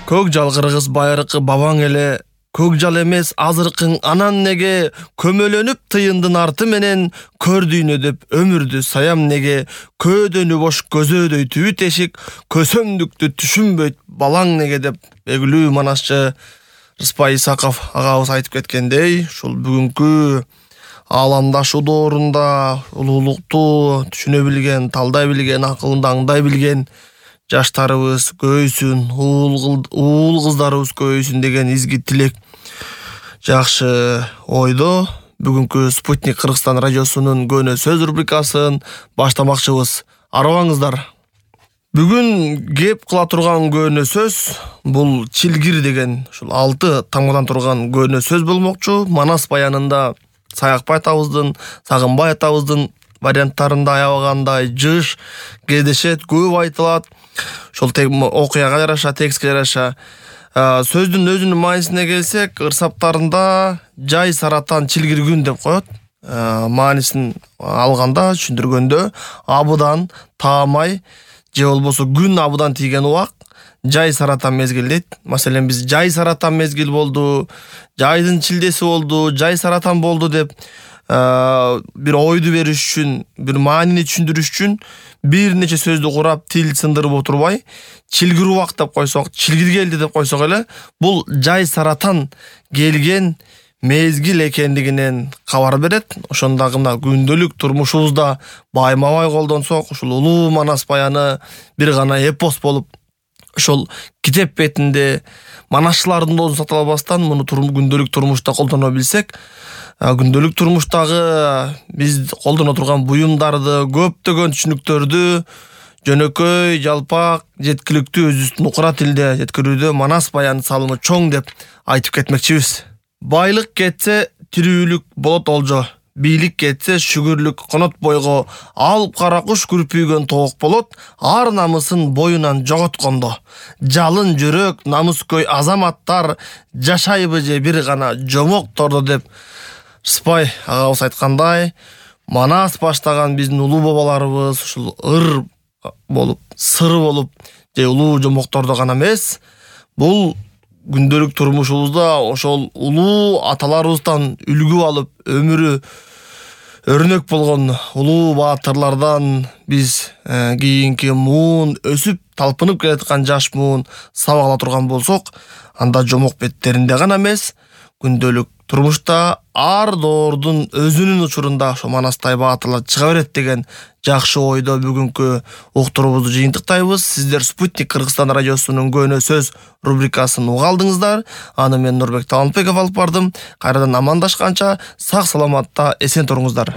Көк жал кыргыз байыркы бабаң эле, көк жал эмес азыркың анан неге, көмөлөнүп тыйындын арты менен, көрдүйнө деп өмүрдү саям неге, көөдөнү бош көзөөдөй түбү тешик, көсөмдүктү түшүнбөйт балаң неге деп белгилүү манасчы Рыспай Исаков агабыз айтып кеткендей, ушул бүгүнкү ааламдашу доорунда улуулукту түшүнө билген, талдай билген, акылында аңдай билген жаштарыбыз көбөйсүн, уул кыздарыбыз көбөйсүн деген изги тилек жакшы ойдо бүгүнкү Спутник Кыргызстан радиосунун Көнө сөз рубрикасын баштамакчыбыз. Арыбаңыздар. Бүгүн кеп кыла турган көнө сөз бул чилгир деген ушул 6 тамгадан турган көнө сөз болмокчу. Манас баянында Саякбай атабыздын, Сагынбай атабыздын варианттарында аябагандай жыш кездешет, көп айтылат. Ошол окуяга жараша, текстке жараша. Сөздүн өзүнүн маанисине келсек, ырсаптарында жай саратан чилгиргүн деп коет. Маанисин алганда, түшүндүргөндө абыдан таамай же болбосо күн абыдан тийген убак жай саратан мезгил дейт. Маселен, биз жай саратан мезгил болду, жайдын чилдеси болду, жай саратан болду деп бир ойду бериш үчүн, бир маанини түшүндүрүш үчүн бир нече сөздү курап, тил сындырып отурбай, чилгир убак деп койсок, чилгир келди деп койсок эле, бул жай саратан келген мезгил экендигинен кабар берет. Ошондагы мына күндөлүк турмушубузда байма-бай колдонсок, ушул улуу Манас баяны бир гана эпос болуп, ошол китеп бетинде манасчылардын доосун сата албастан муну күндөлүк турмушта колдоно билсек, күндөлүк турмуштагы биз колдоно турган буюмдарды, көптөгөн түшүнүктөрдү жөнөкөй, жалпак, жеткиликтүү өзүбүздүн укура тилде жеткирүүдө Манас баянын салымы чоң деп айтып кетмекчибиз. Байлык кетсе, тирүүлүк болот олжо. Бийлик кетсе, шүгүрлүк конот бойго. Алып кара куш күрпүйгөн тоок болот, ар намысын боюнан жоготкондо. Жалын жүрөк, намыскөй азаматтар жашайбы же бир гана жомоктордо деп Рыспай агабыз айткандай, Манас баштаган биздин улуу бабаларыбыз ушул ыр болуп, сыры болуп, же улуу жомоктордо гана эмес, бул күндөлүк турмушубузда ошол улуу аталарыбыздан үлгү алып, өмүрү өрнөк болгон улуу баатырлардан биз кийинки муун өсүп талпынып келаткан жаш муун сабак ала турган болсок, анда жомок беттеринде гана эмес, күндөлүк турмушта ар доордун өзүнүн учурунда ошо Манастай баатырлар чыга берет деген жакшы ойдо бүгүнкү уктуруубузду жыйынтыктайбыз. Сиздер Спутник Кыргызстан радиосунун Көнө сөз рубрикасын уга алдыңыздар. Аны мен Нурбек Талантбеков алып бардым. Кайрадан амандашканча сак саламатта эсен туруңуздар.